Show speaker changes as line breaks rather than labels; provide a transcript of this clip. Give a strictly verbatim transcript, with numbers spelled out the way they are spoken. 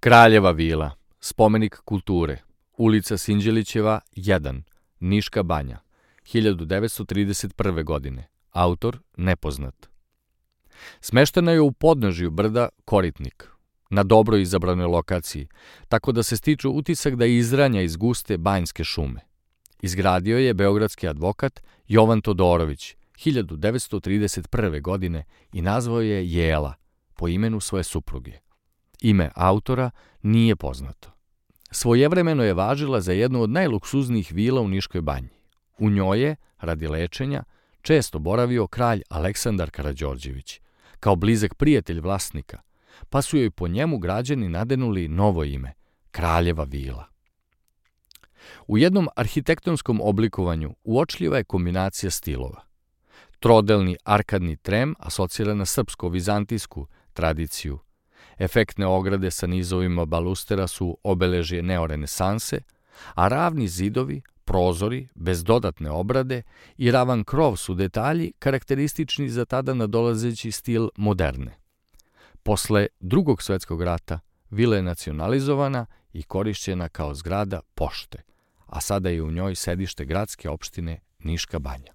Kraljeva vila, spomenik kulture, ulica Sinđelićeva jedan, Niška banja, hiljadu devetsto trideset prve. godine, autor nepoznat. Smeštena je u podnožju brda Koritnik, na dobro izabranoj lokaciji, tako da se stiču utisak da je izranja iz guste banjske šume. Izgradio je beogradski advokat Jovan Todorović, hiljadu devetsto trideset prve. godine i nazvao je Jela, po imenu svoje supruge. Ime autora nije poznato. Svojevremeno je važila za jednu od najluksuznijih vila u Niškoj banji. U njoj je, radi lečenja, često boravio kralj Aleksandar Karađorđević, kao blizak prijatelj vlasnika, pa su joj po njemu građani nadenuli novo ime, Kraljeva vila. U jednom arhitektonskom oblikovanju uočljiva je kombinacija stilova. Trodelni arkadni trem asocira na srpsko-vizantijsku tradiciju. Efektne ograde sa nizovima balustera su obeležje neorenesanse, a ravni zidovi, prozori, bez dodatne obrade i ravan krov su detalji karakteristični za tada nadolazeći stil moderne. Posle Drugog svetskog rata vila je nacionalizovana i korišćena kao zgrada pošte, a sada je u njoj sedište gradske opštine Niška banja.